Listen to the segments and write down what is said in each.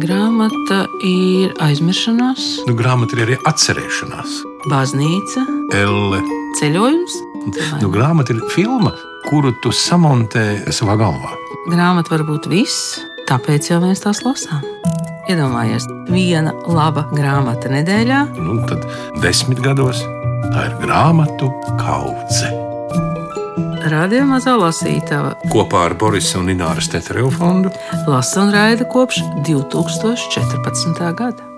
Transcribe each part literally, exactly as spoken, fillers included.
Grāmata ir aizmiršanās, Nu, grāmata ir arī atcerēšanās. baznīca, Elle. ceļojums. Nu, grāmata ir filma, kuru tu samontē savā galvā. Grāmata var būt viss, tāpēc jau mēs tās lasām. Iedomājies, viena laba grāmata nedēļā. Nu, tad desmit gados tā ir grāmatu kaudze. Radio Mazā lasītava Kopā ar Borisa un Ināras Tetereva fondu lasa un raida kopš divi tūkstoši četrpadsmitā gada.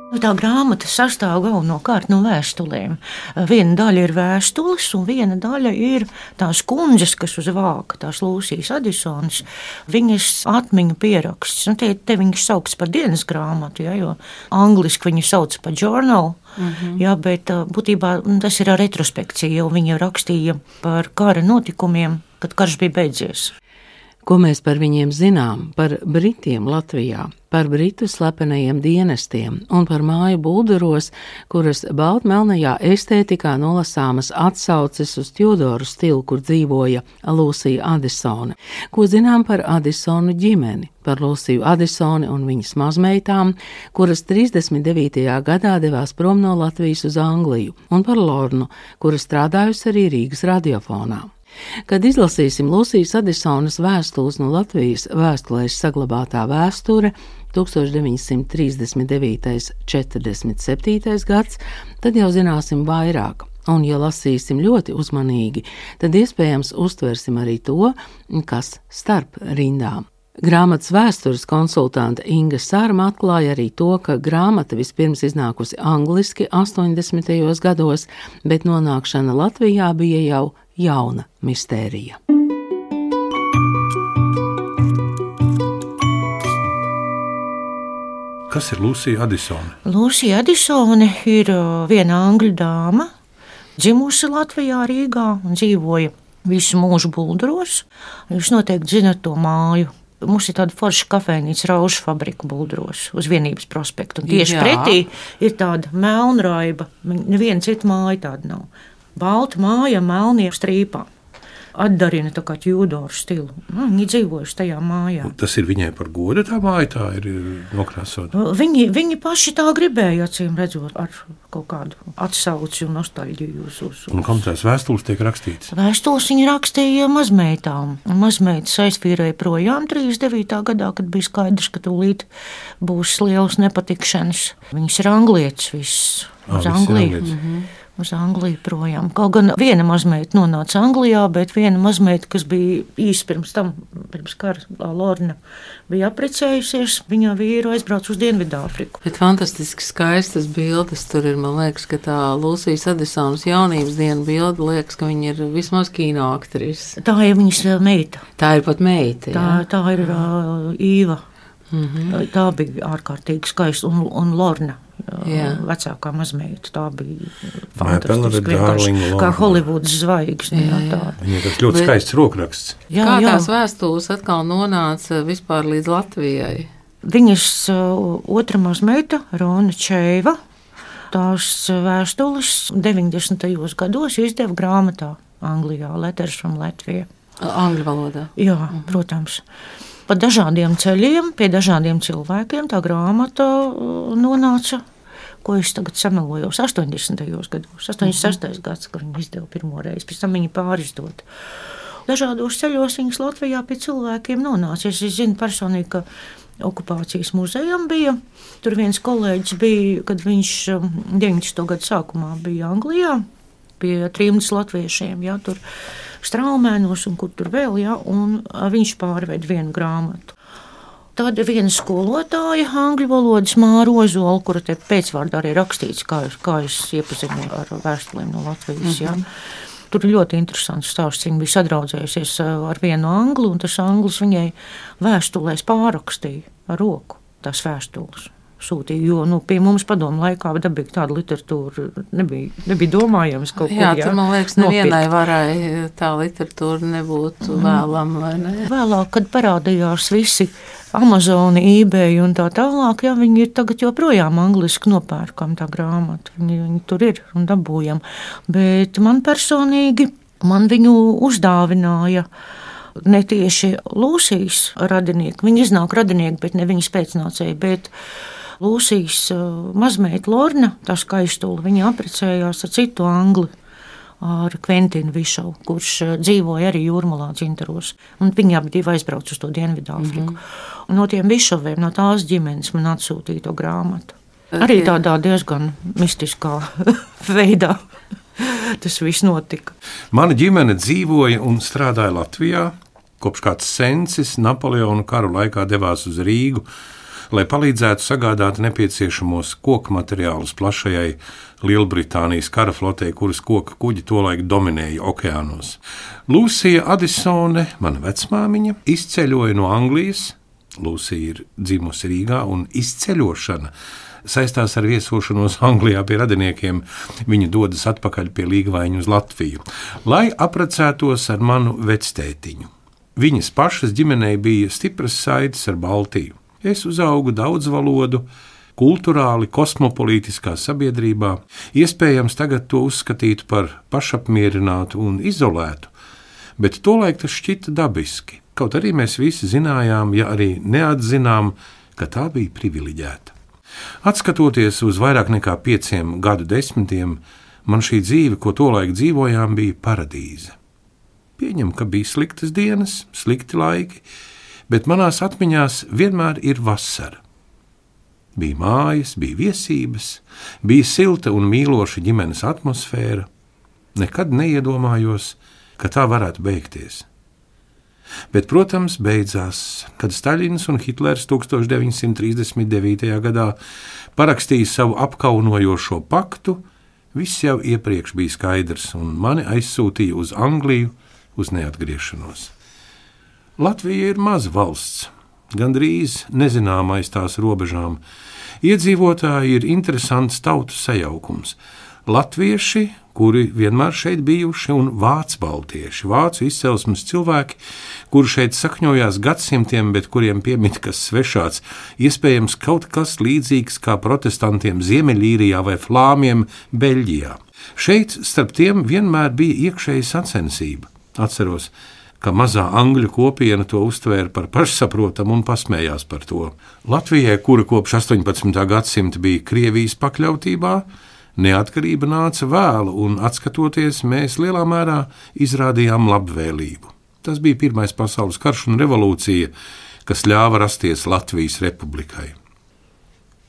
Tā grāmata sastāv galvenokārt no vēstulēm. Viena daļa ir vēstules, un viena daļa ir tās kundzes, kas uz vāka, tās Lūsijas Adisonas, viņas atmiņu pieraksts. Nu, te, te viņas sauc par dienas grāmatu, ja, jo angliski viņu sauc par journal. Mm-hmm. Jā, bet būtībā tas ir retrospekcija, jo viņa rakstīja par kara notikumiem, kad karš bija beidzies. Ko mēs par viņiem zinām, par Britiem Latvijā, par Britu slepenajiem dienestiem un par māju bulduros, kuras baltmelnajā estētikā nolasāmas atsauces uz Tjudoru stilu, kur dzīvoja Lūsija Adisone. Ko zinām par Adisonu ģimeni, par Lūsiju Adisoni un viņas mazmeitām, kuras trīsdesmit devītajā gadā devās prom no Latvijas uz Angliju, un par Lornu, kura strādājusi arī Rīgas radiofonā. Kad izlasīsim Lūsijas Adisonas vēstules no Latvijas vēstulēs saglabātā vēsture deviņdesmit trīsdesmit devītais - četrdesmit septītais gads, tad jau zināsim vairāk. Un, ja lasīsim ļoti uzmanīgi, tad iespējams uztversim arī to, kas starp rindām. Grāmatas vēstures konsultante Inga Sārma atklāja arī to, ka grāmata vispirms iznākusi angliski astoņdesmitajos gados, bet nonākšana Latvijā bija jau jauna mistērija. Kas ir Lūsija Adisone? Lūsija Adisone ir viena angļu dāma, dzimusi Latvijā, Rīgā un dzīvoja visu mūžu Bulduros. Jūs noteikti zinat to māju. Mums ir tāda forša kafejnīca Raušu fabrika Bulduros uz Vienības prospektu. Un tieši Jā. pretī ir tāda melnraiba. Neviena cita māja tāda nav. Balta māja, melnie strīpā. Atdarina tā kā Tjudoru stilu. Viņi dzīvojuši tajā mājā. Tas ir viņai par godu tā māja, tā ir nokrāsota. Viņi, viņi paši tā gribēja, acīm redzot, ar kaut kādu atsauci un nostalģiju uz. uz, uz. Un kam tās vēstules tiek rakstītas? Vēstules viņi rakstīja mazmeitām. Mazmeitas aizfīrēja projām trīsdesmit devītā gadā, kad bija skaidrs, ka tūlīt būs lielas nepatikšanas. Viņas ir anglietis viss uz Ah, Angliju. Mhm. Uz Angliju projām. Kaut gan viena mazmeita nonāca Anglijā, bet viena mazmeita, kas bija īsi pirms tam, pirms kara, Lorna, bija apprecējusies, viņa vīru aizbrauca uz Dienvidāfriku. Bet fantastiski skaistas bildes tur ir, man liekas, ka tā Lūsijas Adisonas jaunības diena bilde liekas, ka viņa ir vismaz kinoaktrise. Tā ir viņas meita. Tā ir pat meita, Tā, jā. tā ir uh, Īva. Mhm. Tā bija ārkārtīgi skaista, un, un Lorna. Jā. Vecākā mazmeita, tā bija My fantastiski, beloved darling vienkārši kā Lorna. Holivudas zvaigzne. Jā, Jā, jā. tā. Viņai tas ļoti Bet- skaists rokraksts. Jā, Kā jā. tās vēstules atkal nonāca vispār līdz Latvijai? Viņas uh, otra mazmeita, Rona Čeiva, tās vēstules deviņdesmitajos gados izdeva grāmatā Anglijā, Letters from Latvia. Angļu valodā. Jā, mhm. protams. Pa dažādiem ceļiem, pie dažādiem cilvēkiem tā grāmata uh, nonāca, ko es tagad samelojos, astoņdesmitajos gados, astoņdesmit sestais gads, kad viņi izdeva pirmo reizi, pēc tam viņi pārizdot. Dažādos ceļos viņas Latvijā pie cilvēkiem nonāca. Es zinu personīgi, ka okupācijas muzejam bija. Tur viens kolēģis bija, kad viņš deviņdesmito gadu sākumā bija Anglijā pie trimdas latviešiem, jā, tur Straumēnos un kur tur vēl, jā, un viņš pārved vienu grāmatu. Tad viena skolotāja, angļu valodas Māra Ozola, kura te pēcvārdā arī rakstīts, kā, kā es iepazinu ar vēstulēm no Latvijas, jā. Tur ir ļoti interesants stāsts. Viņa bija sadraudzējusies ar vienu anglu, un tas anglis viņai vēstulēs pārakstīja ar roku tās vēstules. Sūtīja, jo nu, pie mums padomu laikā dabīgi tāda literatūra nebija, nebija domājams kaut Jā, kur. tur, man liekas, nevienai varai tā literatūra nebūtu mm. vēlama, vai ne? Vēlāk, kad parādījās visi Amazoni, eBay un tā tālāk, jā, viņi ir tagad joprojām angliski nopērkam tā grāmata. Viņi, viņi tur ir un dabūjam. Bet man personīgi, man viņu uzdāvināja ne tieši Lūsijas radinieki, viņi iznāk radinieki, bet ne viņas pēcnācēji, bet Lūsijas mazmeita Lorna, tā skaistula, viņa apprecējās ar citu angli, ar Kventinu Višovu, kurš dzīvoja arī Jūrmalā Dzintaros. Un viņi abi divi aizbrauc uz to Dienvidāfriku. Mm-hmm. Un no tiem Višoviem, no tās ģimenes man atsūtīja to grāmatu. Arī tādā diezgan mistiskā veidā tas viss notika. Mana ģimene dzīvoja un strādāja Latvijā, kopš kāds sencis Napoleona karu laikā devās uz Rīgu, lai palīdzētu sagādāt nepieciešamos koku materiālus plašajai Lielbritānijas kara flotei, kuras koka kuģi tolaik dominēja okeānos. Lūsija Adisone, mana vecmāmiņa, izceļoja no Anglijas. Lūsija ir dzimusi Rīgā, un izceļošana saistās ar viesošanos Anglijā pie radiniekiem. Viņa dodas atpakaļ pie līgavaiņu uz Latviju, lai apprecētos ar manu vectētiņu. Viņas pašas ģimenei bija stipras saites ar Baltiju. Es uzaugu daudzvalodu, kulturāli kosmopolītiskā sabiedrībā, iespējams tagad to uzskatītu par pašapmierinātu un izolētu, bet tolaik tas šķita dabiski, kaut arī mēs visi zinājām, ja arī neatzinām, ka tā bija privileģēta. Atskatoties uz vairāk nekā pieciem gadu desmitiem, man šī dzīve, ko tolaik dzīvojām, bija paradīze. Pieņem, ka bija sliktas dienas, slikti laiki, bet manās atmiņās vienmēr ir vasara. Bija mājas, bija viesības, bija silta un mīloša ģimenes atmosfēra. Nekad neiedomājos, ka tā varētu beigties. Bet, protams, beidzās, kad Staļins un Hitlers deviņdesmit trīsdesmit devītajā gadā parakstīja savu apkaunojošo paktu. Viss jau iepriekš bija skaidrs, un mani aizsūtīja uz Angliju uz neatgriešanos. Latvija ir maza valsts, gandrīz nezināma aiz tās robežām. Iedzīvotāji ir interesants tautu sajaukums. Latvieši, kuri vienmēr šeit bijuši, un vācu baltieši, vācu izcelsmes cilvēki, kuri šeit sakņojās gadsimtiem, bet kuriem piemīt kas svešāds, iespējams kaut kas līdzīgs kā protestantiem Ziemeļīrijā vai flāmiem Beļģijā. Šeit starp tiem vienmēr bija iekšēja sacensība. Atceros, ka mazā angļu kopiena to uztvēra par pašsaprotamu un pasmējās par to. Latvijai, kura kopš astoņpadsmitā gadsimta bija Krievijas pakļautībā, neatkarība nāca vēlu, un atskatoties, mēs lielā mērā izrādījām labvēlību. Tas bija Pirmais pasaules karš un revolūcija, kas ļāva rasties Latvijas republikai.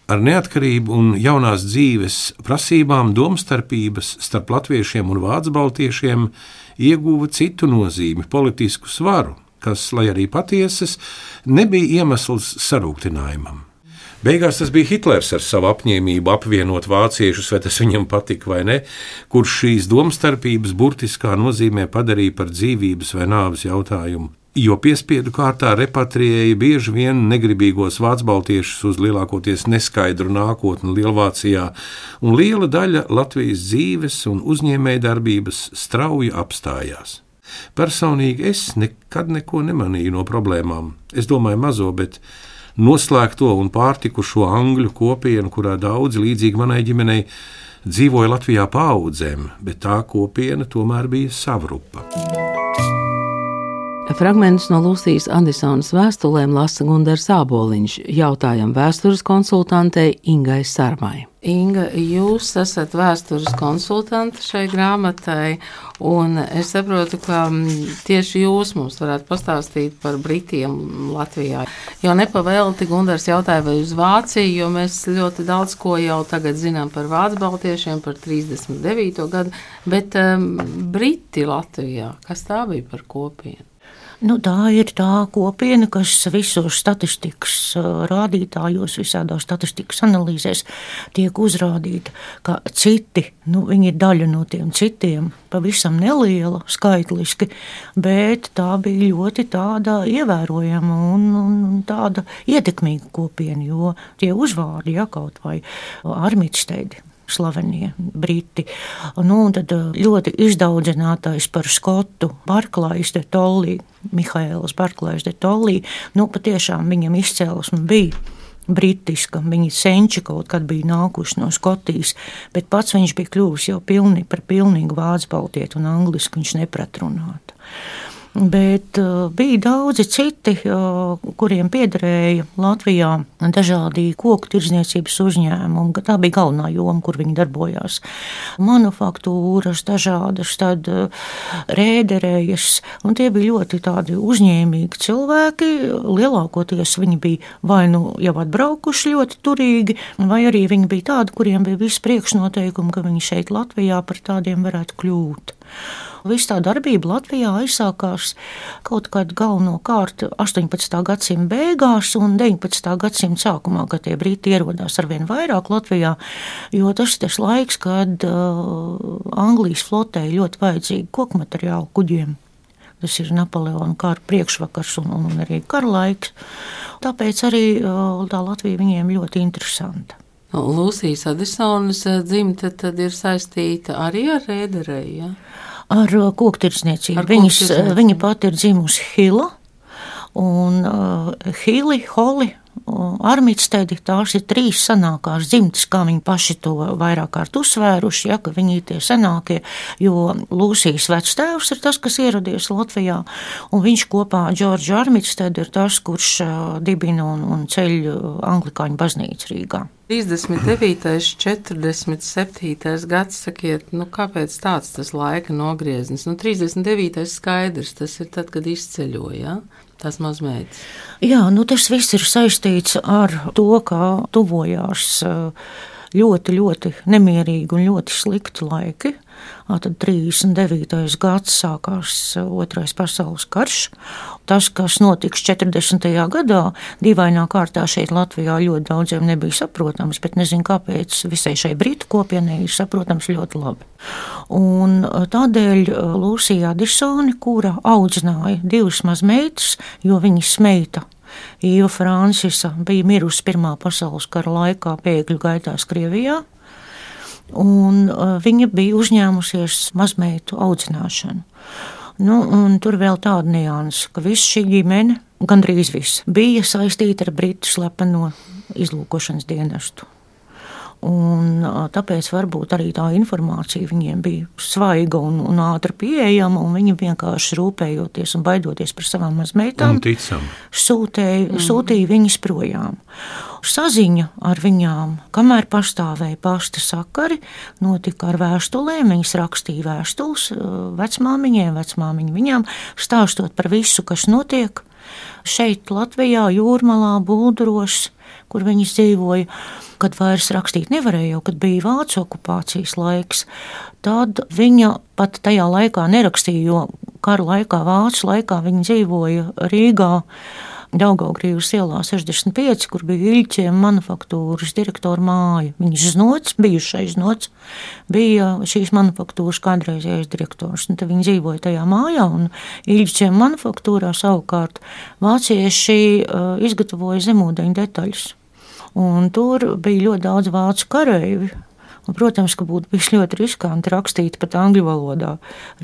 Ar neatkarību un jaunās dzīves prasībām domstarpības starp latviešiem un vācbaltiešiem ieguva citu nozīmi, politisku svaru, kas, lai arī patiesas, nebija iemesls sarūktinājumam. Beigās tas bija Hitlers ar savu apņēmību apvienot vāciešus, vai tas viņam patika vai ne, kurš šīs domstarpības burtiskā nozīmē padarīja par dzīvības vai nāves jautājumu, jo piespiedu kārtā repatriēja bieži vien negribīgos vācbaltiešus uz lielākoties neskaidru nākotni Lielvācijā, un liela daļa Latvijas dzīves un uzņēmējdarbības strauji apstājās. Personīgi es nekad neko nemanīju no problēmām. Es domāju mazo, bet noslēgto un pārtikušo angļu kopienu, kurā daudzi līdzīgi manai ģimenei dzīvoja Latvijā paaudzēm, bet tā kopiena tomēr bija savrupa. Fragmentus no Lūsijas Adisonas vēstulēm lasa Gundars Āboliņš, jautājam vēstures konsultantei Ingai Sarmai. Inga, jūs esat vēstures konsultante šai grāmatai, un es saprotu, ka tieši jūs mums varētu pastāstīt par Britiem Latvijā. Jo nepavēlti Gundars jautāja, vai uz Vāciju, jo mēs ļoti daudz ko jau tagad zinām par vācbaltiešiem, par trīsdesmit devīto gadu, bet um, Briti Latvijā, kas tā bija par kopienu? Nu, tā ir tā kopiena, kas visos statistikas rādītājos, visādās statistikas analīzēs tiek uzrādīta, ka citi, nu, viņi ir daļa no tiem citiem, pavisam neliela skaitliski, bet tā bija ļoti tāda ievērojama un, un tāda ietekmīga kopiena, jo tie uzvārdi, ja, kaut vai Armitsteidi, slavenie briti. Nu, un tad ļoti izdaudzinātais par skotu Barklājs de Tollī, Mihaēls Barklājs de Tollī, nu, patiešām viņam izcēlesme bija britiska, viņi senči kaut kad bija nākuši no Skotijas, bet pats viņš bija kļuvis jau pilni, par pilnīgu vācu baltieti un angliski viņš neprat runāt. Bet uh, bija daudzi citi, uh, kuriem piederēja Latvijā dažādi koku tirdzniecības uzņēmumi. Tā bija galvenā joma, kur viņi darbojās. Manufaktūras, dažādas tad uh, rēderējas, un tie bija ļoti tādi uzņēmīgi cilvēki. Lielākoties viņi bija vai nu jau atbraukuši ļoti turīgi, vai arī viņi bija tādi, kuriem bija visi priekšnoteikumi, ka viņi šeit Latvijā par tādiem varētu kļūt. Viss tā darbība Latvijā aizsākās kaut kad galvenokārt astoņpadsmitā gadsimta beigās un deviņpadsmitā gadsimta sākumā, kad tie briti ierodās arvien vairāk Latvijā, jo tas ir tas laiks, kad uh, Anglijas flotei ļoti vajadzīgi koku materiālu kuģiem. Tas ir Napoleona kara priekšvakars un, un arī kara laiks. Tāpēc arī uh, tā Latvija viņiem ļoti interesanta. Lūsijas Adisonas dzimte tad ir saistīta arī ar rēderēju, ja? Ar koktirdzniecību. Viņas, viņa pati ir dzimusi Hila, un uh, Hili, Holi, Armitstedi, tās ir trīs senākās dzimtes, kā viņi paši to vairāk kārt uzsvēruši, ja, ka viņi ir tie senākie, jo Lūsijas vectēvs ir tas, kas ieradies Latvijā, un viņš kopā ar Džordžu Armitstedi ir tas, kurš uh, dibina un, un ceļ anglikāņu baznīcu Rīgā. trīsdesmit devītais, četrdesmit septītais gads, sakiet, nu kāpēc tāds tas laika nogrieznis? Nu, trīsdesmit devītais skaidrs, tas ir tad, kad izceļoja, ja? Tās mazmeitas. Jā, nu tas viss ir saistīts ar to, ka tuvojās ļoti, ļoti nemierīgi un ļoti slikti laiki. Tad trīsdesmit devītais gads sākās Otrais pasaules karš. Tas, kas notiks četrdesmitajā gadā, dīvainā kārtā šeit Latvijā ļoti daudziem nebija saprotams, bet nezinu, kāpēc visai šai britu kopienai ir saprotams ļoti labi. Un tādēļ Lūsija Adisone, kura audzināja divas mazmeitas, jo viņas meita Īva Francisa bija mirusi Pirmā pasaules kara laikā bēgļu gaitās Krievijā, un viņa bija uzņēmusies mazmeitu audzināšanu. Nu, un tur vēl tāda nianse, ka visa šī ģimene, gandrīz viss, bija saistīta ar britu slepeno izlūkošanas dienestu. Un tāpēc varbūt arī tā informācija viņiem bija svaiga un, un ātri pieejama, un viņi vienkārši rūpējoties un baidoties par savām mazmeitām, sūtēja, mm. sūtīja viņas projām. Saziņa ar viņām, kamēr pastāvēja pasta sakari, notika ar vēstulēm. Viņas rakstīja vēstules vecmāmiņai, vecmāmiņa viņām, stāstot par visu, kas notiek šeit Latvijā, Jūrmalā, Bulduros, kur viņas dzīvoja. Kad vairs rakstīt nevarēja, jau kad bija vācu okupācijas laiks, tad viņa pat tajā laikā nerakstīja, jo kara laikā, vācu laikā viņa dzīvoja Rīgā, Daugavgrīvas ielā sešdesmit pieci, kur bija Iļķiem manufaktūras direktora māja. Viņas znots, bijušais znots, bija šīs manufaktūras kādreizējais direktors. Un tad viņi dzīvoja tajā mājā, un Iļķiem manufaktūrā savukārt vācieši uh, izgatavoja zemūdeņu detaļas. Un tur bija ļoti daudz vācu kareivi. Un, protams, ka būtu bijis ļoti riskanti rakstīt pat angļu valodā,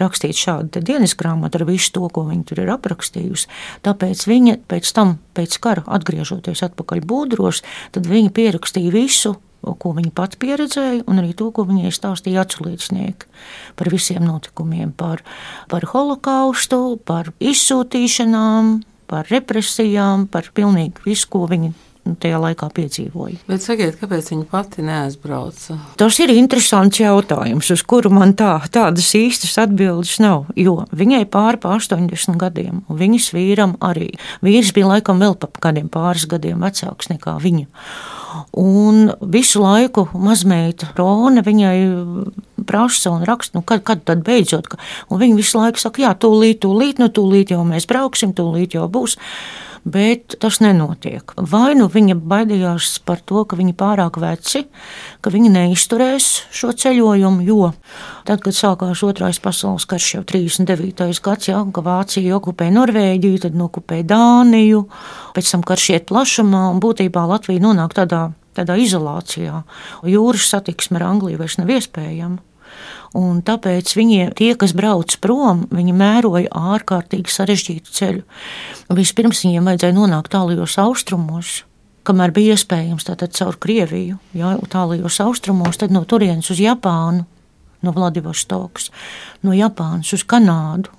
rakstīt šādu dienas grāmatu ar visu to, ko viņa tur ir aprakstījusi. Tāpēc viņa pēc tam, pēc kara, atgriežoties atpakaļ Būdros, tad viņa pierakstīja visu, ko viņa pati pieredzēja, un arī to, ko viņai stāstīja aculiecinieki par visiem notikumiem, par, par holokaustu, par izsūtīšanām, par represijām, par pilnīgi visu, ko viņa tajā laikā piedzīvoja. Bet sakiet, kāpēc viņa pati neaizbrauca? Tas ir interesants jautājums, uz kuru man tā, tādas īstas atbildes nav, jo viņai pāri pa astoņdesmit gadiem, un viņas vīram arī. Vīrs bija laikam vēl pa kādiem pāris gadiem vecāks nekā viņa. Un visu laiku mazmeita Rona viņai prasa un raksta, nu kad, kad tad beidzot, un viņa visu laiku saka, jā, tūlīt, tūlīt, nu tūlīt jau mēs brauksim, tūlīt jau būs. Bet tas nenotiek. Vai nu viņa baidījās par to, ka viņi pārāk veci, ka viņi neizturēs šo ceļojumu, jo tad, kad sākās Otrais pasaules karš jau trīsdesmit devītais gads, ja, ka Vācija okupēja Norvēģiju, tad okupēja Dāniju, pēc tam karš iet plašumā, un būtībā Latvija nonāk tādā, tādā izolācijā. Jūras satiksme ar Angliju vairs nav iespējama. Un tāpēc viņi, tie, kas brauc prom, viņi mēroja ārkārtīgi sarežģītu ceļu. Vispirms viņiem vajadzēja nonākt tālajos austrumos, kamēr bija iespējams tātad caur Krieviju, jā, tālajos austrumos, tad no turienes uz Japānu, no Vladivostokas, no Japānas uz Kanādu,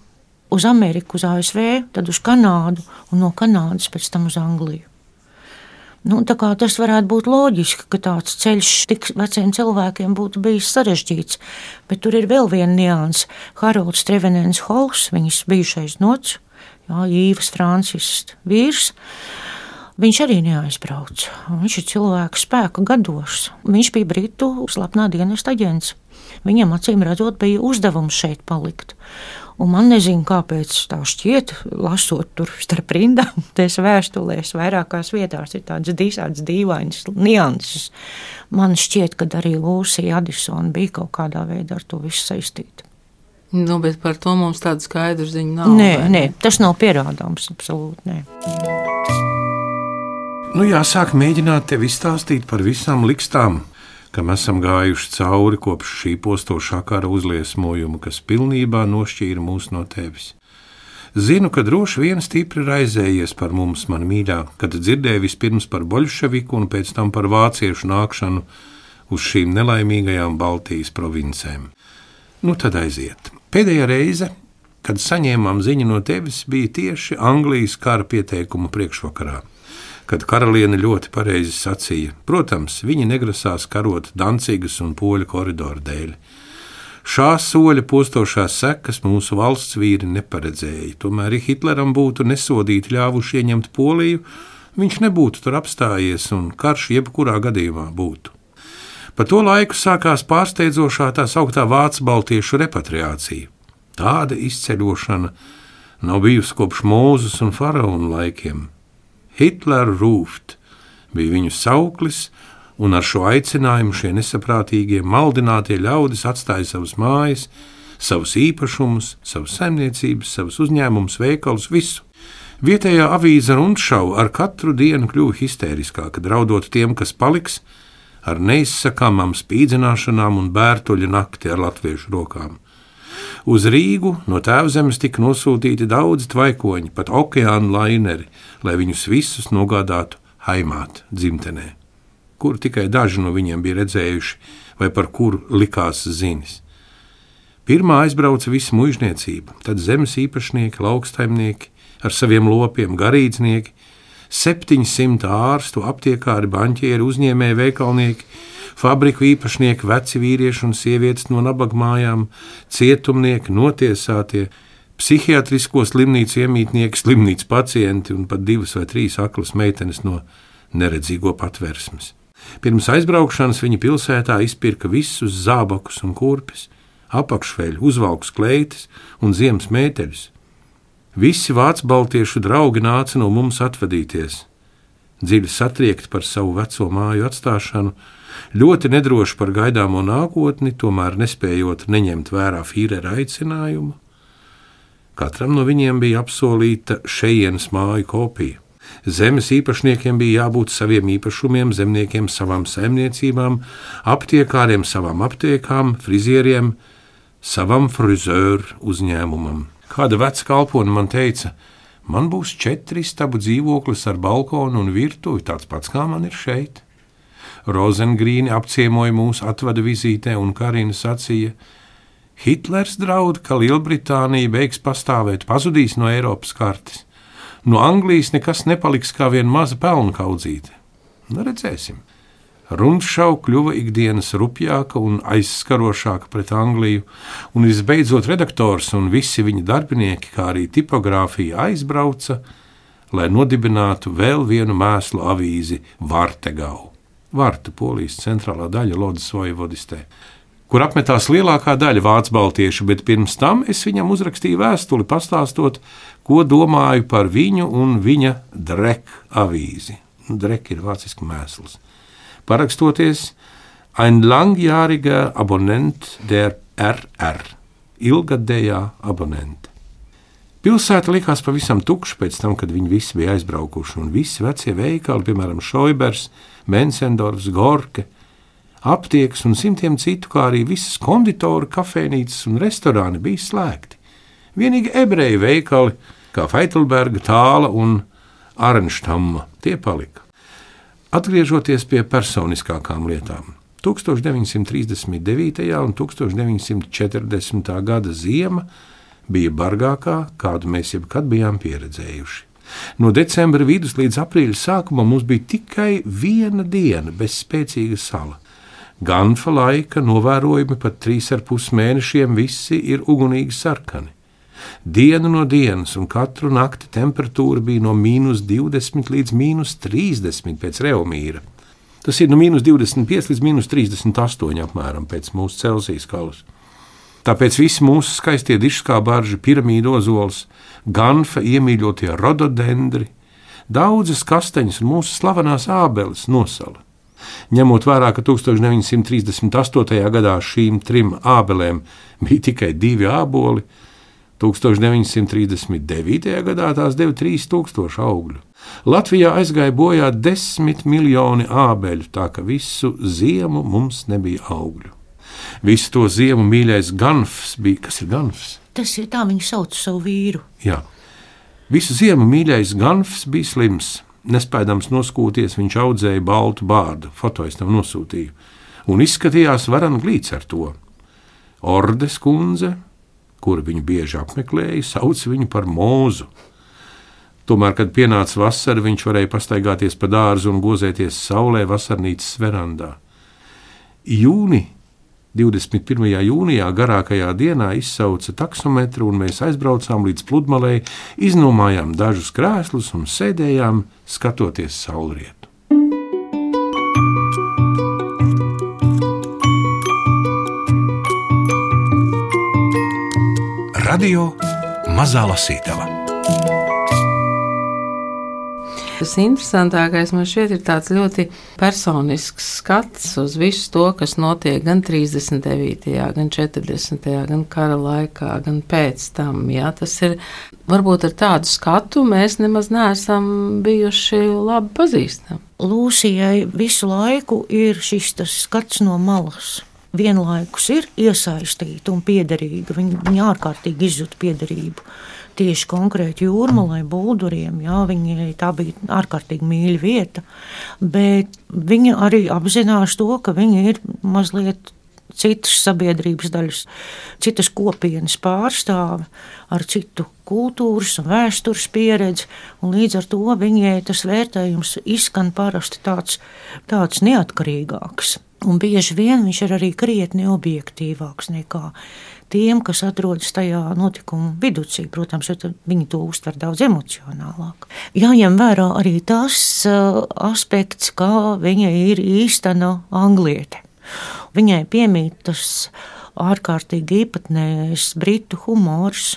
uz Ameriku, uz A S V, tad uz Kanādu un no Kanādas pēc tam uz Angliju. Nu, tā kā tas varētu būt loģiski, ka tāds ceļš tik veciem cilvēkiem būtu bijis sarežģīts, bet tur ir vēl viena nianse. Harolds Trevenens Hols, viņas bijušais nots, jā, Īvas Francis vīrs, viņš arī neaizbrauca. Viņš ir cilvēka spēka gados. Viņš bija Britu slepnā dienesta aģents. Viņam acīm redzot bija uzdevums šeit palikt. Un man nezinu, kāpēc tā šķiet, lasot tur starp rindām, tās vēstulēs vairākās vietās ir tādas visādas dīvainas nianses. Man šķiet, ka arī Lūsija Adisona bija kaut kādā veidā ar to visu saistīta. Nu, bet par to mums tāda skaidra ziņa nav. Nē, nē, tas nav pierādāms, absolūti nē. Nu, jāsāk mēģināt tev izstāstīt par visām likstām, kam esam gājuši cauri kopš šī postošā kara uzliesmojuma, kas pilnībā nošķīra mūs no tevis. Zinu, ka droši vien stipri raizējies par mums, man mīļā, kad dzirdēju vispirms par boļševiku un pēc tam par vāciešu nākšanu uz šīm nelaimīgajām Baltijas provincēm. Nu, tad aiziet. Pēdējā reize, kad saņēmām ziņu no tevis, bija tieši Anglijas kara pieteikuma priekšvakarā, kad karaliene ļoti pareizi sacīja, protams, viņi negrasās karot Dancigas un Poļu koridoru dēļ. Šā soļa postošās sekas mūsu valsts vīri neparedzēja, tomēr, ja Hitleram būtu nesodīti ļāvuši ieņemt Poliju, viņš nebūtu tur apstājies un karš jebkurā gadījumā būtu. Pa to laiku sākās pārsteidzošā tā sauktā vācu baltiešu repatriācija. Tāda izceļošana nav bijusi kopš Mūzes un faraonu laikiem. Hitler ruft bija viņu sauklis, un ar šo aicinājumu šie nesaprātīgie, maldinātie ļaudis atstāja savas mājas, savus īpašumus, savas saimniecības, savus uzņēmumus, veikalus, visu. Vietējā avīze Rundschau ar katru dienu kļuva histēriskāka, draudot tiem, kas paliks, ar neizsakāmām spīdzināšanām un bērtuļu nakti ar latviešu rokām. Uz Rīgu no Tēvzemes tika nosūtīti daudzi tvaikoņi, pat okeāna laineri, lai viņus visus nogādātu Haimāt dzimtenē, kuru tikai daži no viņiem bija redzējuši vai par kuru likās zinis. Pirmā aizbrauca visa muižniecība, tad zemes īpašnieki, lauksaimnieki ar saviem lopiem, garīdznieki, septiņsimt ārstu, aptiekāri, baņķieri, uzņēmēji, veikalnieki, fabriku īpašnieki, veci vīrieši un sievietes no nabagmājām, cietumnieki, notiesātie, psihiatrisko slimnīcu iemītnieki, slimnīcu pacienti un pat divas vai trīs aklas meitenes no neredzīgo patversmes. Pirms aizbraukšanas viņi pilsētā izpirka visus zābakus un kurpes, apakšveļu, uzvalkus kleites un ziemas mēteļus. Visi vācu baltiešu draugi nāca no mums atvadīties, dziļi satriekti par savu veco māju atstāšanu, ļoti nedroši par gaidāmo nākotni, tomēr nespējot neņemt vērā Fīrera aicinājumu. Katram no viņiem bija apsolīta šejienes māju kopija. Zemes īpašniekiem bija jābūt saviem īpašumiem, zemniekiem savām saimniecībām, aptiekāriem savām aptiekām, frizieriem savam frizēru uzņēmumam. Kāda veca kalpone man teica, man būs četri istabu dzīvoklis ar balkonu un virtuvi, tāds pats kā man ir šeit. Rozengrīni apciemoja mūsu atvada vizītē un Karina sacīja, Hitlers draud, ka Lielbritānija beigs pastāvēt, pazudīs no Eiropas kartes. No Anglijas nekas nepaliks kā vien maza pelnu kaudzīte. Nu, redzēsim. Rundšau kļuva ikdienas rupjāka un aizskarošāka pret Angliju, un visbeidzot redaktors un visi viņa darbinieki, kā arī tipogrāfija aizbrauca, lai nodibinātu vēl vienu mēslu avīzi Vartegau. Varta, Polijas centrālā daļa Lodzes vojvodistē, kur apmetās lielākā daļa vācu baltiešu, bet pirms tam es viņam uzrakstīju vēstuli pastāstot, ko domāju par viņu un viņa Drek avīzi. Drek ir vāciski mēsls. Parakstoties ein langjähriger Abonnent der R R, ilgadējā abonente. Pilsēta likās pavisam tukša pēc tam, kad viņi visi bija aizbraukuši, un visi vecie veikali, piemēram, Šoibers, Mensendorfs, Gorke, aptiekas un simtiem citu, kā arī visas konditori, kafēnīcas un restorāni bija slēgti. Vienīgi ebreju veikali, kā Feitelberga, Tāla un Arnštamma, tie palika. Atgriežoties pie personiskākām lietām, tūkstoš deviņsimt trīsdesmit devītajā un tūkstoš deviņsimt četrdesmitā gada ziema bija bargākā, kādu mēs jebkad bijām pieredzējuši. No decembra vidus līdz aprīļa sākumam mums bija tikai viena diena bez spēcīga sala. Ganfa laika novērojumi pat trīs ar pus mēnešiem visi ir ugunīgi sarkani. Dienu no dienas un katru nakti temperatūra bija no mīnus divdesmit līdz mīnus trīsdesmit pēc Reomīra. Tas ir no mīnus divdesmit pieci līdz mīnus trīsdesmit astoņi apmēram pēc mūsu Celsija skalas. Tāpēc visi mūsu skaistie dišskābārži, piramīdu ozols, ganfa iemīļotie rododendri, daudzas kasteņas un mūsu slavenās ābeles nosala. Ņemot vērā, ka tūkstoš deviņi simti trīsdesmit astotajā gadā šīm trim ābelēm bija tikai divi āboli, tūkstoš deviņi simti trīsdesmit devītajā gadā tās deva trīs tūkstoši augļu. Latvijā aizgāja bojā desmit miljoni ābeļu, tā ka visu ziemu mums nebija augļu. Visu to ziemu mīļais ganfs bija, kas ir ganfs? Tas ir tā, viņi sauc savu vīru. Jā. Visu ziemu mīļais ganfs bija slims. Nespēdams noskūties, viņš audzēja baltu bārdu, foto es tam nosūtīju, un izskatījās varan glīts ar to. Ordes kundze, kuru viņu bieži apmeklēja, sauc viņu par mūzu. Tomēr, kad pienāca vasara, viņš varēja pastaigāties pa dārzu un gozēties saulē vasarnīcas verandā. Jūni, divdesmit pirmajā jūnijā, garākajā dienā izsauca taksometru un mēs aizbraucām līdz pludmalei, iznomājām dažus krēslus un sēdējām, skatoties saulrietu. Radio Mazā Lasītava. Tas interesantākais man šķiet ir tāds ļoti personisks skats uz visu to, kas notiek gan trīsdesmit devītajā, gan četrdesmitajā, gan kara laikā, gan pēc tam. Jā, tas ir, varbūt ar tādu skatu mēs nemaz neesam bijuši labi pazīstami. Lūsijai visu laiku ir šis tas skats no malas. Vienlaikus ir iesaistīta un piederīga. Viņa, viņa ārkārtīgi izjūt piederību. Tieši konkrēti Jūrmalai, Bulduriem, jā, viņai tā bija ārkārtīgi mīļa vieta, bet viņa arī apzinās to, ka viņa ir mazliet citas sabiedrības daļas, citas kopienas pārstāve ar citu kultūras un vēstures pieredzi, un līdz ar to viņai tas vērtējums izskan parasti tāds, tāds neatkarīgāks. Un bieži vien viņš ir arī krietni objektīvāks nekā tiem, kas atrodas tajā notikuma viducī. Protams, viņi to uztver daudz emocionālāk. Jāņem vērā arī tas uh, aspekts, kā viņa ir īstena angliete. Viņai piemīt tas ārkārtīgi īpatnējais britu humors,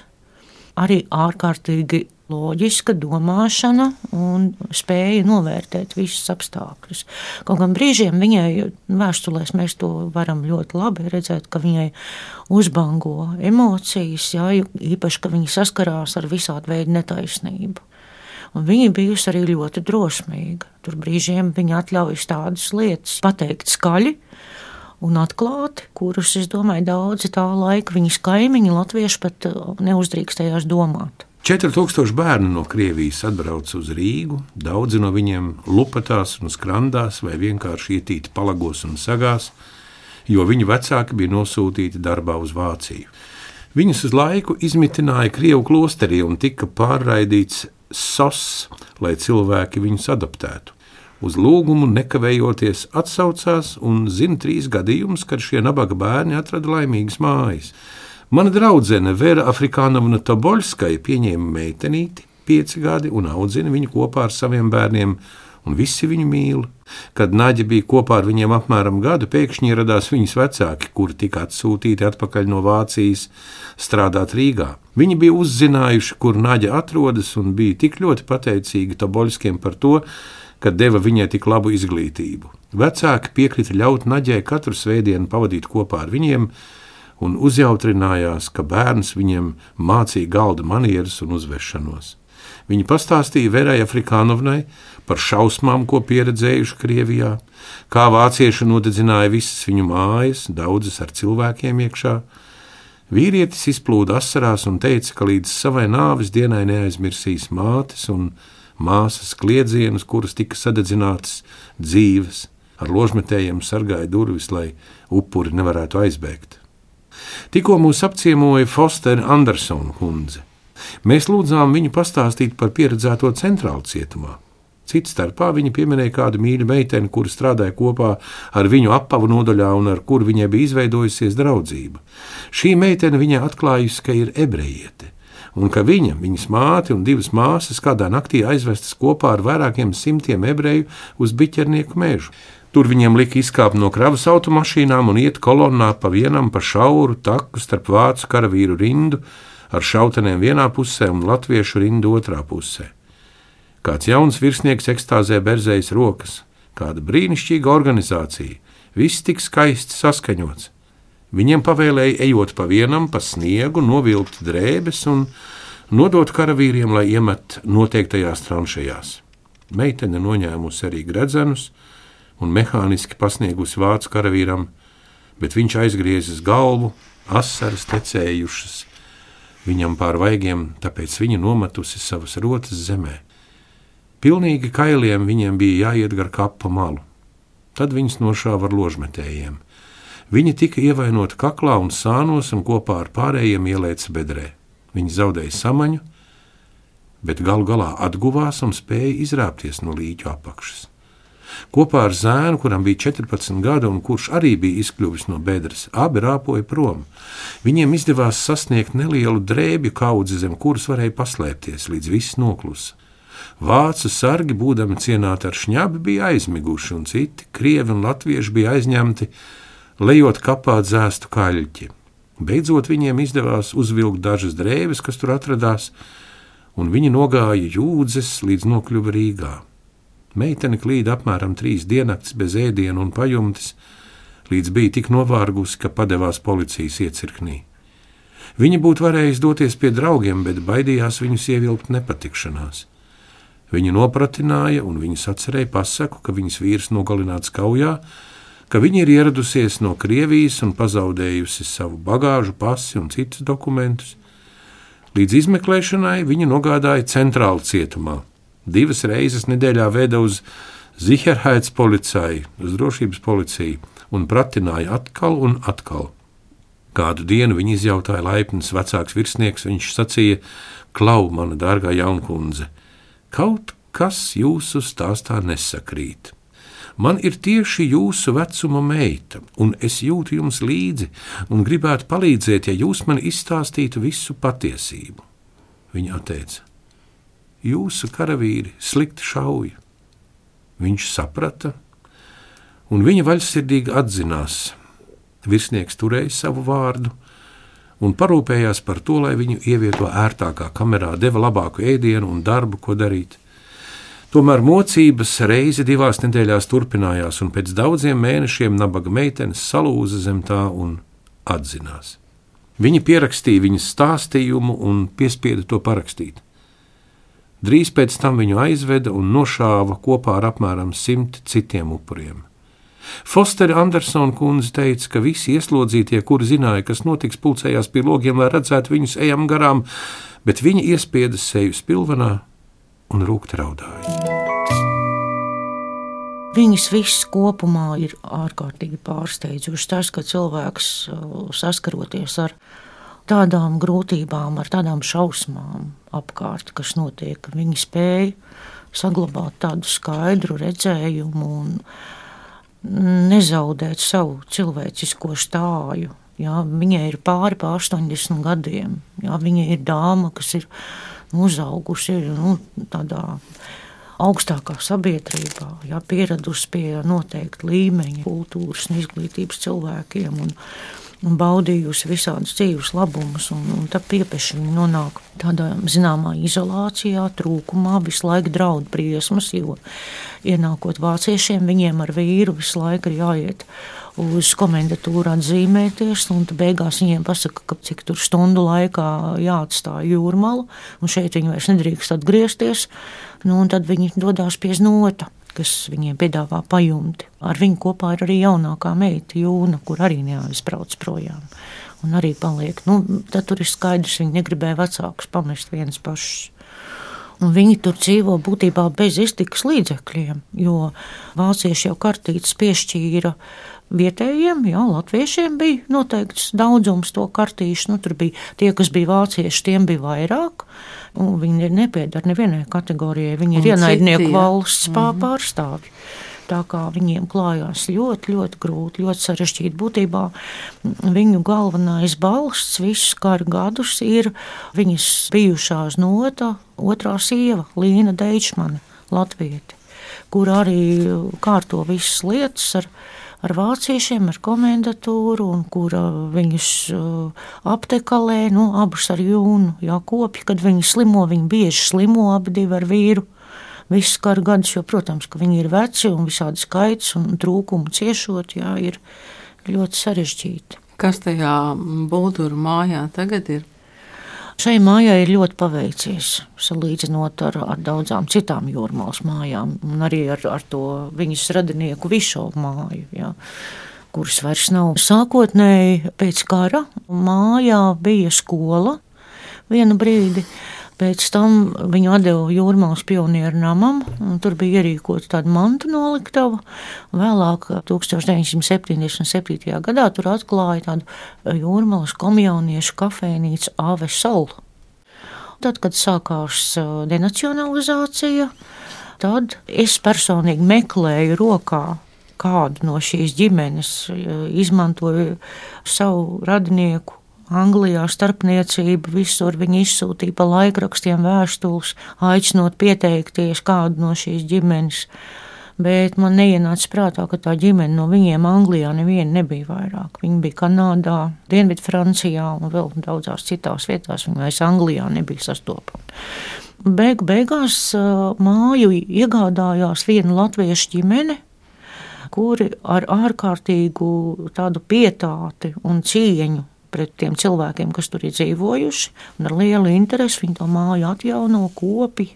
arī ārkārtīgi loģiska domāšana un spēja novērtēt visus apstākļus. Kaut gan brīžiem viņai vēstulēs mēs to varam ļoti labi redzēt, ka viņai uzbango emocijas, jā, īpaši, ka viņa saskarās ar visādu veidu netaisnību. Un viņa bijusi arī ļoti drosmīga. Tur brīžiem viņa atļaujas tādas lietas pateikt skaļi un atklāti, kurus, es domāju, daudzi tā laika viņas kaimiņi latvieši pat neuzdrīkstējās domāt. četri tūkstoši bērnu no Krievijas atbrauca uz Rīgu, daudzi no viņiem lupatās un skrandās vai vienkārši ietīti palagos un sagās, jo viņu vecāki bija nosūtīti darbā uz Vāciju. Viņus uz laiku izmitināja Krievu klosterī un tika pārraidīts S O S, lai cilvēki viņus adoptētu. Uz lūgumu nekavējoties atsaucās un zina trīs gadījumus, kad šie nabaga bērni atrada laimīgas mājas. Mana draudzene Vera Afrikānovna Toboļskaja pieņēma meitenīti, pieci gadi, un audzina viņu kopā ar saviem bērniem, un visi viņu mīl. Kad Naģa bija kopā ar viņiem apmēram gadu, pēkšņi ieradās viņas vecāki, kuri tika atsūtīti atpakaļ no Vācijas strādāt Rīgā. Viņi bija uzzinājuši, kur Naģa atrodas, un bija tik ļoti pateicīgi Toboļskiem par to, ka deva viņai tik labu izglītību. Vecāki piekrita ļaut Naģai katru svētdienu pavadīt kopā ar viņiem, un uzjautrinājās, ka bērns viņiem mācīja galda manieres un uzvešanos. Viņi pastāstīja Verai Afrikānovnai par šausmām, ko pieredzējuši Krievijā, kā vācieši nodedzināja visas viņu mājas, daudzas ar cilvēkiem iekšā. Vīrietis izplūda asarās un teica, ka līdz savai nāves dienai neaizmirsīs mātes un māsas kliedzienus, kuras tika sadedzinātas dzīves. Ar ložmetējiem sargāja durvis, lai upuri nevarētu aizbēgt. Tikko mūs apciemoja Fostera Andersona kundze. Mēs lūdzām viņu pastāstīt par pieredzēto centrālu cietumā. Cits starpā viņa pieminēja kādu mīļu meiteni, kura strādāja kopā ar viņu apavu nodaļā un ar kuru viņai bija izveidojusies draudzība. Šī meitene viņai atklājusi, ka ir ebrejiete, un ka viņa, viņas māte un divas māsas kādā naktī aizvestas kopā ar vairākiem simtiem ebreju uz Biķernieku mežu. Tur viņiem lika izkāpt no kravas automašīnām un iet kolonnā pa vienam pa šauru taku starp vācu karavīru rindu ar šautenēm vienā pusē un latviešu rindu otrā pusē. Kāds jauns virsnieks ekstāzē berzējas rokas, kāda brīnišķīga organizācija, viss tik skaisti saskaņots. Viņiem pavēlēja ejot pa vienam pa sniegu, novilkt drēbes un nodot karavīriem, lai iemet noteiktajās tranšejās. Meitene noņēmusi arī gredzenus un mehāniski pasniegusi vācu karavīram, bet viņš aizgriezis galvu, asaras tecējušas viņam pār vaigiem, tāpēc viņa nometusi savas rotas zemē. Pilnīgi kailiem viņiem bija jāiet gar kapa malu. Tad viņas nošāva ar ložmetējiem. Viņi tika ievainoti kaklā un sānos un kopā ar pārējiem ielēca bedrē. Viņi zaudēja samaņu, bet galu galā atguvās un spēja izrāpties no līķu apakšas. Kopā ar zēnu, kuram bija četrpadsmit gadi un kurš arī bija izkļuvis no bedres, abi rāpoja prom. Viņiem izdevās sasniegt nelielu drēbju kaudzi, zem kuras varēja paslēpties, līdz viss noklusa. Vācu sargi, būdami cienāti ar šņabi, bija aizmiguši, un citi, krievi un latvieši, bija aizņemti, lejot kapā dzēstu kaļķi. Beidzot viņiem izdevās uzvilkt dažas drēbes, kas tur atradās, un viņi nogāja Jūdzes līdz nokļuva Rīgā. Meitene klīda apmēram trīs diennaktis bez ēdiena un pajumtes, līdz bija tik novārgusi, ka padevās policijas iecirknī. Viņa būtu varējusi doties pie draugiem, bet baidījās viņus ievilkt nepatikšanās. Viņu nopratināja un viņas atcerēja pasaku, ka viņas vīrs nogalināts kaujā, ka viņa ir ieradusies no Krievijas un pazaudējusi savu bagāžu, pasi un citus dokumentus. Līdz izmeklēšanai viņa nogādāja centrālu cietumā. Divas reizes nedēļā veda uz Sicherheitspolizei, uz drošības policiju, un pratināja atkal un atkal. Kādu dienu viņa izjautāja laipns vecāks virsnieks, viņš sacīja: "Klau, mana dārgā jaunkundze, kaut kas jūsu stāstā nesakrīt. Man ir tieši jūsu vecuma meita, un es jūtu jums līdzi un gribētu palīdzēt, ja jūs man izstāstītu visu patiesību." Viņa atteica: "Jūsu karavīri slikti šauja." Viņš saprata, un viņa vaļsirdīgi atzinās. Virsnieks turēja savu vārdu un parūpējās par to, lai viņu ievieto ērtākā kamerā, deva labāku ēdienu un darbu, ko darīt. Tomēr mocības reizi divās nedēļās turpinājās, un pēc daudziem mēnešiem nabaga meitenes salūza zem tā un atzinās. Viņi pierakstīja viņas stāstījumu un piespieda to parakstīt. Drīz pēc tam viņu aizveda un nošāva kopā ar apmēram simt citiem upuriem. Fostera Andersona kundze teica, ka visi ieslodzītie, kuri zināja, kas notiks, pulcējās pie logiem, lai redzētu viņus ejam garām, bet viņi iespieda seju spilvenā un rūkti raudāja. Viņas viss kopumā ir ārkārtīgi pārsteidzošs. Tas, ka cilvēks saskaroties ar tādām grūtībām, ar tādām šausmām apkārt, kas notiek, viņi spēja saglabāt tādu skaidru redzējumu un nezaudēt savu cilvēcisko stāju. Jā, viņai ir pāri pa astoņdesmit gadiem. Jā, viņa ir dāma, kas ir uzaugusi nu, tādā augstākā sabiedrībā, jā, pieradusi pie noteikta līmeņa kultūras un izglītības cilvēkiem un un baudījusi visādus dzīves labumus, un, un tad piepeši viņi nonāk tādā zināmā izolācijā, trūkumā, visu laiku draud briesmas, jo ienākot vāciešiem, viņiem ar vīru visu laiku ir jāiet uz komendatūru atzīmēties, un beigās viņiem pasaka, ka cik tur stundu laikā jāatstāja Jūrmalu, un šeit viņi vairs nedrīkst atgriezties, nu, un tad viņi dodās pie Znota, kas viņiem piedāvā pajumti. Ar viņu kopā ir arī jaunākā meita Jūna, kur arī neaizbrauc projām. Un arī paliek. Nu, tad tur ir skaidrs, viņi negribēja vecākus pamest vienas pašas. Un viņi tur dzīvo būtībā bez iztikas līdzekļiem, jo vācieši jau kartītes piešķīra vietējiem, jā, latviešiem bija noteikts daudzums to kartīšu, nu tur bija tie, kas bija vācieši, tiem bija vairāk, un viņi nepiedara nevienai kategorijai, viņi ir ienaidnieku valsts mm-hmm. pārstāvji. Tā kā viņiem klājās ļoti, ļoti grūti, ļoti sarežģīti. Būtībā viņu galvenais balsts visus kara gadus ir viņas bijušās nota otrā sieva, Līna Deičmane, latvieti, kur arī kārto visas lietas ar, ar vāciešiem, ar komendatūru, un kura viņus aptekalē, nu, abus ar Jūnu, jā, kopji, kad viņi slimo, viņi bieži slimo abi divi ar vīru. Visus karu gadus, jo, protams, ka viņi ir veci un visādi skaits un trūkumu ciešot, jā, ir ļoti sarežģīti. Kas tajā Bulduru mājā tagad ir? Šai mājai ir ļoti paveicies, salīdzinot ar, ar daudzām citām Jūrmalas mājām, un arī ar, ar to viņas radinieku Višovu māju, jā, kuras vairs nav. Sākotnēji pēc kara mājā bija skola vienu brīdi. Pēc tam viņu atdeva Jūrmalas pionieru namam, un tur bija ierīkota tāda mantu noliktava. Vēlāk, tūkstoš deviņsimt septiņdesmit septītajā gadā, tur atklāja tādu Jūrmalas komjauniešu kafejnīcu Ave Sol. Tad, kad sākās denacionalizācija, tad es personīgi meklēju rokā kādu no šīs ģimenes, izmantoju savu radinieku Anglijā starpniecību, visur viņi izsūtīja pa laikrakstiem vēstules, aicinot pieteikties kādu no šīs ģimenes, bet man neienāca prātā, ka tā ģimene no viņiem Anglijā neviena nebija vairāk. Viņi bija Kanādā, Dienvidu Francijā un vēl daudzās citās vietās, viņi vairs Anglijā nebija sastopami. Beigu beigās māju iegādājās viena latviešu ģimene, kuri ar ārkārtīgu tādu pietāti un cieņu pret tiem cilvēkiem, kas tur ir dzīvojuši, un ar lielu interesi viņi to māju atjauno, kopi.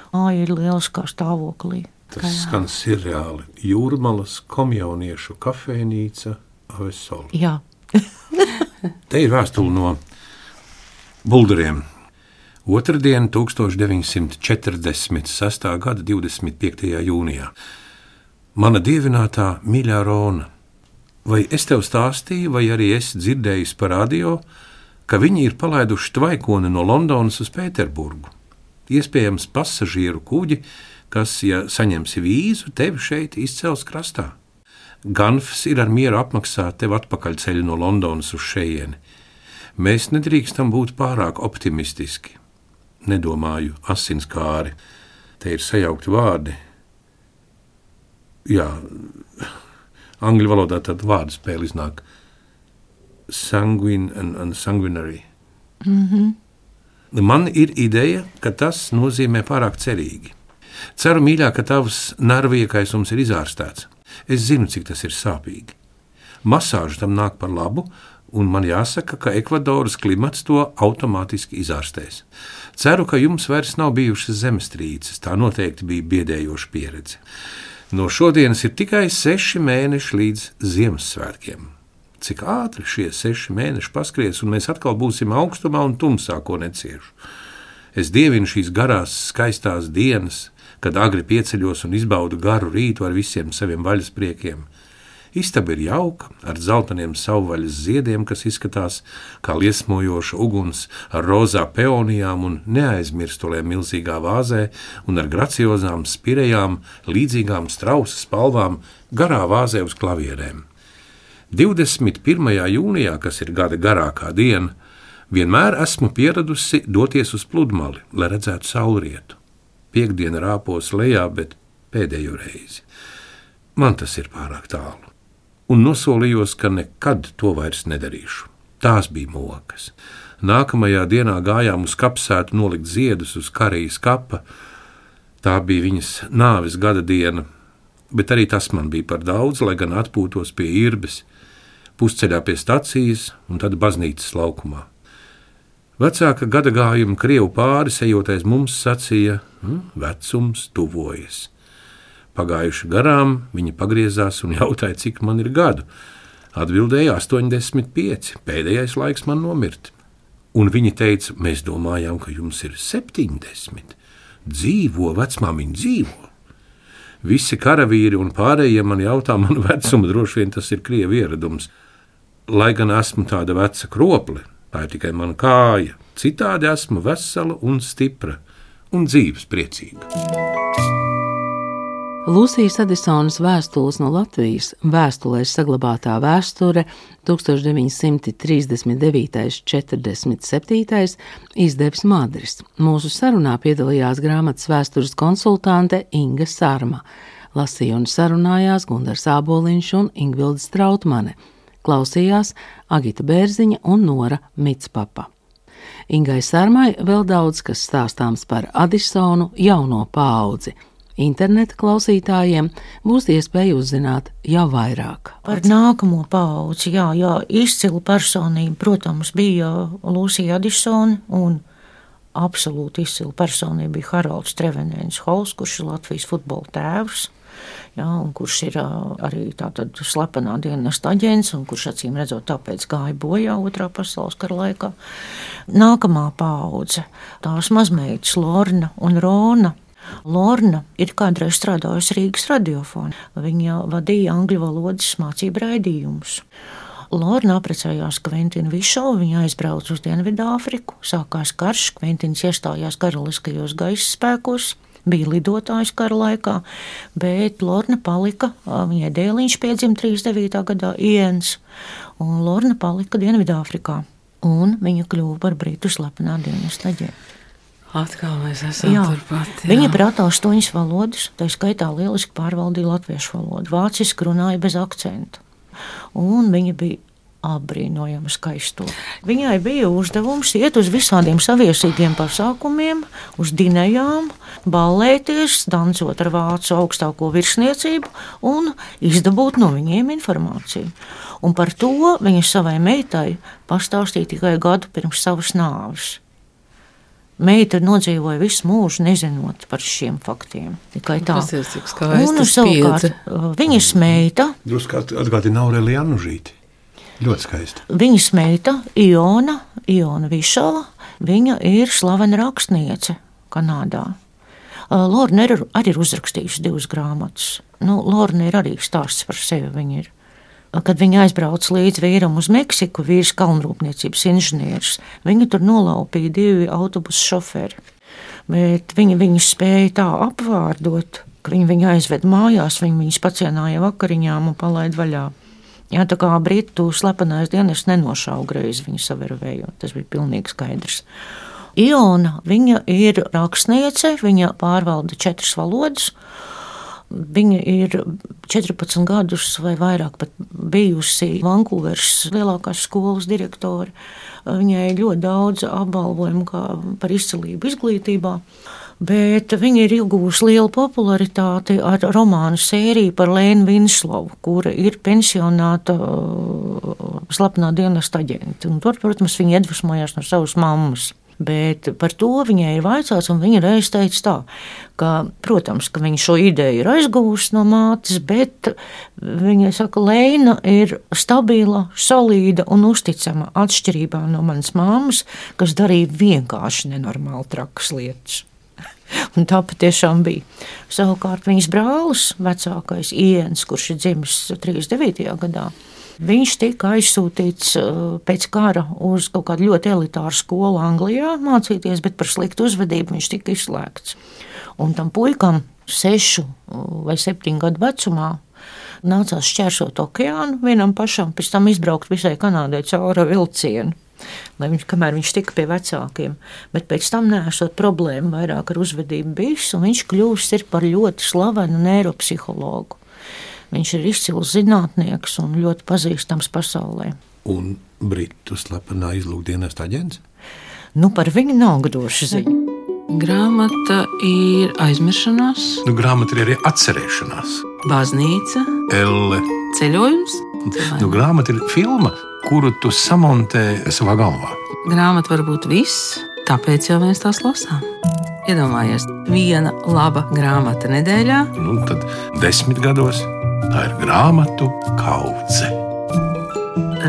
Māja ir lieliskā stāvoklī. Tas skan sirreāli. Jūrmalas komjauniešu kafejnīca Ave Sol. Jā. Te ir vēstule no Bulduriem. Otrdien, tūkstoš deviņsimt četrdesmit sestā gada divdesmit piektajā jūnijā. Mana dievinātā mīļā Rona, vai es tev stāstīju, vai arī esi dzirdējis par radio, ka viņi ir palaiduši tvaikoni no Londonas uz Pēterburgu? Iespējams pasažieru kuģi, kas, ja saņemsi vīzu, tevi šeit izcels krastā. Ganfs ir ar mieru apmaksāt tev atpakaļ ceļu no Londonas uz šejieni. Mēs nedrīkstam būt pārāk optimistiski. Nedomāju asinskāri. Te ir sajaukti vārdi. Jā, angļu valodā tāda vārdu spēle iznāk sanguine and, and sanguinary. Mm-hmm. Man ir ideja, ka tas nozīmē pārāk cerīgi. Ceru, mīļā, ka tavs nervu iekaisums ir izārstēts. Es zinu, cik tas ir sāpīgi. Masāža tam nāk par labu, un man jāsaka, ka Ekvadoras klimats to automātiski izārstēs. Ceru, ka jums vairs nav bijušas zemestrīces, tā noteikti bija biedējoša pieredze. No šodienas ir tikai seši mēneši līdz Ziemassvētkiem. Cik ātri šie seši mēneši paskries, un mēs atkal būsim augstumā un tumsā, ko neciešu. Es dievinu šīs garās, skaistās dienas, kad agri pieceļos un izbaudu garu rītu ar visiem saviem vaļaspriekiem. Istaba ir jauka, ar zeltainiem savvaļas ziediem, kas izskatās kā liesmojoša uguns, ar rozā peonijām un neaizmirstulēm milzīgā vāzē un ar graciozām spirejām, līdzīgām strausa spalvām, garā vāzē uz klavierēm. divdesmit pirmajā jūnijā, kas ir gada garākā diena, vienmēr esmu pieradusi doties uz pludmali, lai redzētu saulrietu. Piektdiena rāpos lejā, bet pēdējo reizi. Man tas ir pārāk tālu. Un nosolījos, ka nekad to vairs nedarīšu. Tās bija mokas. Nākamajā dienā gājām uz kapsētu nolikt ziedus uz Karijas kapa. Tā bija viņas nāves gada diena, bet arī tas man bija par daudz, lai gan atpūtos pie Irbes, pusceļā pie stacijas un tad baznīcas laukumā. Vecāka gada gājuma krievu pāris ejotais mums sacīja, hm, vecums tuvojas. Pagājuši garām, viņa pagriezās un jautāja, cik man ir gadu. Atbildēja astoņdesmit pieci, pēdējais laiks man nomirt. Un viņa teica, mēs domājām, ka jums ir septiņdesmit. Dzīvo, vecmāmiņa, dzīvo. Visi karavīri un pārējie man jautā manu vecumu, droši vien tas ir krievu ieradums. Lai gan esmu tāda veca kropli, tā ir tikai mana kāja. Citādi esmu vesela un stipra un dzīves priecīga. Lūsijas Adisonas vēstules no Latvijas, vēstulēs saglabātā vēsture tūkstoš deviņi simti trīsdesmit devītais - četrdesmit septītais izdevis Madris. Mūsu sarunā piedalījās grāmatas vēstures konsultante Inga Sarma. Lasīja un sarunājās Gundars Āboliņš un Ingvilde Strautmane. Klausījās Agita Bērziņa un Nora Mitspapa. Ingai Sarmai vēl daudz kas stāstāms par Adisonu jauno paudzi. Interneta klausītājiem būs iespēja uzzināt jau vairāk. Par nākamo paudzi, jā, jā, izcila personība, protams, bija Lūsija Adisone, un absolūti izcila personība bija Haralds Trevenēns Hols, kurš ir Latvijas futbola tēvs, jā, un kurš ir arī tātad slepenā dienesta aģents, un kurš acīm redzot tāpēc gāja bojā otrā pasaules kara laikā. Nākamā paudze, tās mazmeitas Lorna un Rona. Lorna ir kādreiz strādājusi Rīgas radiofonā. Viņa vadīja angļu valodas mācību raidījumus. Lorna apprecējās Kventinu Višovu, viņa aizbrauca uz Dienvidāfriku, sākās karš, Kventins iestājās karaliskajos gaisa spēkos, bija lidotājs kara laikā, bet Lorna palika, viņai dēliņš piedzima trīsdesmit devītā gadā Iens, un Lorna palika Dienvidāfrikā, un viņa kļuva par Britu slepenā dienesta aģentu. Atkal mēs esam jā. turpat. Jā. Viņa prātā astoņas valodas, tā skaitā lieliski pārvaldīja latviešu valodu, vāciski runāja bez akcentu. Un viņa bija apbrīnojama skaisto. Viņai bija uzdevums iet uz visādiem saviesīgiem pasākumiem, uz dinējām, ballēties, dancot ar vācu augstāko virsniecību un izdabūt no viņiem informāciju. Un par to viņa savai meitai pastāstīja tikai gadu pirms savas nāves. Meita nodzīvoja visu mūžu, nezinot par šiem faktiem. Tikai tā. Tas ir cik skaisti un savukārt viņas meita. Drusku atgādina Aurelija Anužīti. Ļoti skaisti. Viņas meita Iona, Iona Višova, viņa ir slavena rakstniece Kanādā. Lorna ir, arī ir uzrakstījusi divas grāmatas. Nu, Lorna ir arī stāsts par sevi. Viņa ir. Kad viņa aizbrauca līdz vīram uz Meksiku, vīrs kalnrūpniecības inženieris, viņa tur nolaupīja divi autobusu šoferi. Bet viņa viņus spēja tā apvārdot, ka viņi viņu aizved mājās, viņi viņus pacienāja vakariņām un palaid vaļā. Jā, tā kā Britu slepenais dienests nenošauga reizi viņu savervējot, tas bija pilnīgi skaidrs. Iona, viņa ir rakstniece, viņa pārvalda četras valodas. Viņa ir četrpadsmit gadus vai vairāk pat bijusi Vankūveras lielākās skolas direktore. Viņai ir ļoti daudz apbalvojumu par izcilību izglītībā, bet viņa ir iegūjusi lielu popularitāti ar romānu sēriju par Lēnu Vinslovu, kura ir pensionāta slepenā dienesta aģente. Un tur, protams, viņa iedvesmojās no savas mammas. Bet par to viņai ir vaicāts, un viņa reiz teica tā, ka, protams, ka viņa šo ideju ir aizguvusi no mātes, bet viņa saka, Lēna ir stabila, solīda un uzticama atšķirībā no manas mammas, kas darīja vienkārši nenormāli trakas lietas. Un tā patiešām bija. Savukārt viņas brālis, vecākais Iens, kurš ir dzimis trīsdesmit devītajā gadā, viņš tika aizsūtīts pēc kara uz kaut kādu ļoti elitāru skolu Anglijā mācīties, bet par sliktu uzvedību viņš tika izslēgts. Un tam puikam sešu vai septiņu gadu vecumā nācās šķērsot okeānu vienam pašam, pēc tam izbraukt visai Kanādai cauri vilcienu, lai viņš, kamēr viņš tika pie vecākiem. Bet pēc tam neesot problēma vairāk ar uzvedību bijis, un viņš kļūst ir par ļoti slavenu neiropsihologu. Viņš ir izcils zinātnieks un ļoti pazīstams pasaulē. Un Britu slepenā izlūkdienesta aģents? Nu, par viņu nav droši ziņa. Grāmata ir aizmiršanās. Nu, grāmata ir arī atcerēšanās. Baznīca. Elle. Ceļojums. Nu, grāmata ir filma, kuru tu samontē savā galvā. Grāmata var būt viss, tāpēc jau mēs tās lasām. Iedomājies, viena laba grāmata nedēļā. Nu, tad desmit gados tā ir grāmatu kaudze.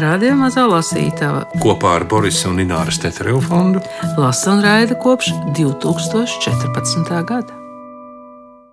Radio Radio Mazā lasītava kopā ar Borisa un Ināras Tetereva fondu lasa un raida kopš divtūkstoš četrpadsmitā gada.